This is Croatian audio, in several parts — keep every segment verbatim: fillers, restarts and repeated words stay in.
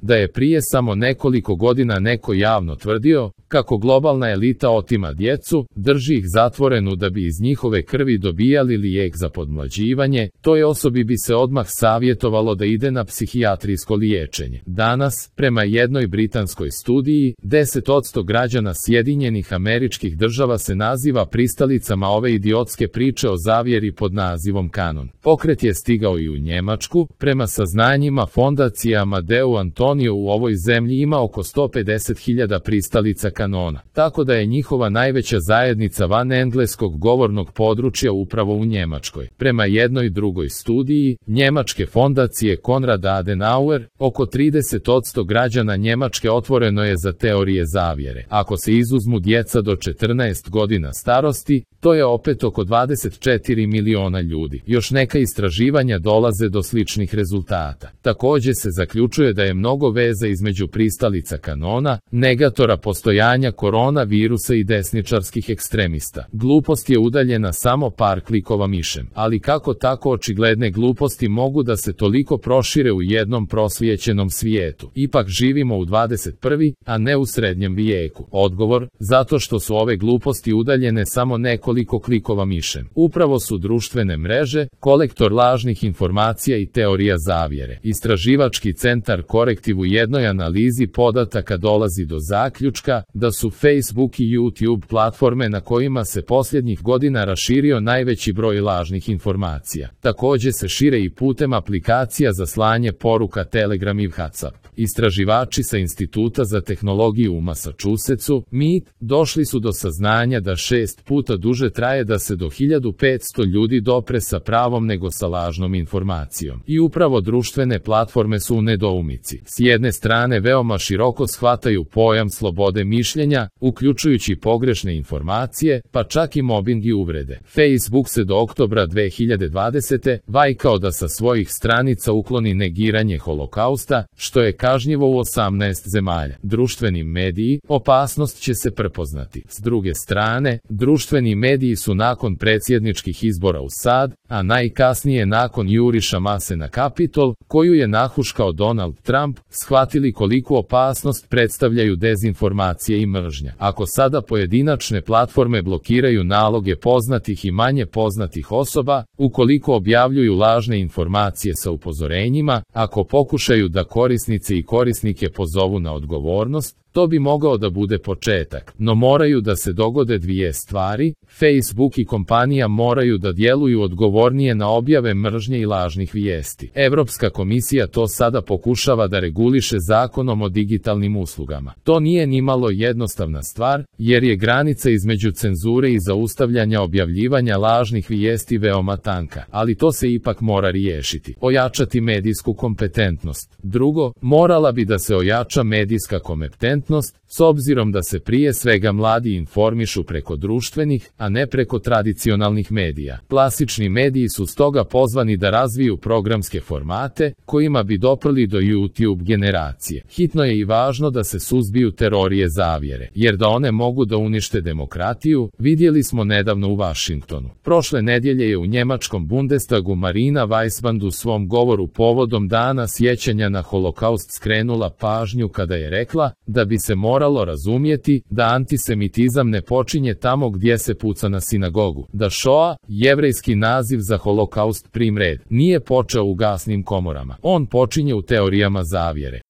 da je prije samo nekoliko godina neko javno tvrdio kako globalna elita otima djecu, drži ih zatvorenu da bi iz njihove krvi dobijali lijek za podmlađivanje, toj osobi bi se odmah savjetovalo da ide na psihijatrijsko liječenje. Danas, prema jednoj britanskoj studiji, deset posto građana Sjedinjenih Američkih Država se naziva pristalicama ove idiotske priče o zavjeri pod nazivom kanon. Pokret je stigao i u Njemačku, prema saznanjima fondacije Amadeu Antonio u ovoj zemlji ima oko sto pedeset hiljada pristalica kanona, tako da je njihova najveća zajednica van engleskog govornog područja upravo u Njemačkoj. Prema jednoj drugoj studiji, njemačke fondacije Konrad Adenauer, oko trideset posto građana Njemačke otvoreno je za teorije zavjere. Ako se izuzmu djeca do četrnaest godina starosti, to je opet oko dvadeset četiri miliona ljudi. Još neka istraživanja dolaze do sličnih rezultata. Također se zaključuje da je mnogo veza između pristalica kanona, negatora postojanja koronavirusa i desničarskih ekstremista. Glupost je udaljena samo par klikova mišem. Ali kako tako očigledne gluposti mogu da se toliko prošire u jednom prosvijećenom svijetu? Ipak živimo u dvadeset prvom, a ne u srednjem vijeku. Odgovor, zato što su ove gluposti udaljene samo nekoliko klikova mišem. Upravo su društvene mreže, kolektor lažnih informacija i teorija zavjere. Istraživački centar Korektiv u jednoj analizi podataka dolazi do zaključka da su Facebook i YouTube platforme na kojima se posljednjih godina raširio najveći broj lažnih informacija. Također se šire i putem aplikacija za slanje poruka Telegram i WhatsApp. Istraživači sa Instituta za tehnologiju u Massachusettsu, M I T, došli su do saznanja da šest puta duže traje da se do hiljadu petsto ljudi dopre sa pravom nego sa lažnom informacijom. I upravo društvene platforme su u nedoumici. S jedne strane veoma široko shvataju pojam slobode mišljenja, uključujući pogrešne informacije, pa čak i mobbing i uvrede. Facebook se do oktobra dve hiljade dvadesete vajkao da sa svojih stranica ukloni negiranje holokausta, što je kažnjivo u osamnaest zemalja. Društveni mediji, opasnost će se prepoznati. S druge strane, društveni mediji su nakon predsjedničkih izbora u S A D, a najkasnije nakon juriša mase na Kapitol, koju je nahuškao Donald Trump, shvatili koliku opasnost predstavljaju dezinformacije i mržnja. Ako sada pojedinačne platforme blokiraju naloge poznatih i manje poznatih osoba, ukoliko objavljuju lažne informacije sa upozorenjima, ako pokušaju da korisnice i korisnike pozovu na odgovornost, to bi mogao da bude početak. No moraju da se dogode dvije stvari, Facebook i kompanija moraju da djeluju odgovornije na objave mržnje i lažnih vijesti. Evropska komisija to sada pokušava da reguliše zakonom o digitalnim uslugama. To nije nimalo jednostavna stvar, jer je granica između cenzure i zaustavljanja objavljivanja lažnih vijesti veoma tanka, ali to se ipak mora riješiti. Ojačati medijsku kompetentnost. Drugo, morala bi da se ojača medijska kompetentnost, s obzirom da se prije svega mladi informišu preko društvenih, a ne preko tradicionalnih medija. Klasični mediji su stoga pozvani da razviju programske formate, kojima bi doprli do YouTube generacije. Hitno je i važno da se suzbiju teorije zavjere, jer da one mogu da unište demokratiju, vidjeli smo nedavno u Vašingtonu. Prošle nedjelje je u njemačkom Bundestagu Marina Weissband u svom govoru povodom dana sjećanja na holokaust skrenula pažnju kada je rekla da bi se moralo razumjeti da antisemitizam ne počinje tamo gdje se puca na sinagogu, da Šoa, jevrejski naziv za holokaust prim red, nije počeo u gasnim komorama. On počinje u teorijama zavjere.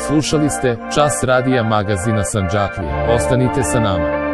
Slušali ste Čas radija magazina Sandžaklije. Ostanite sa nama.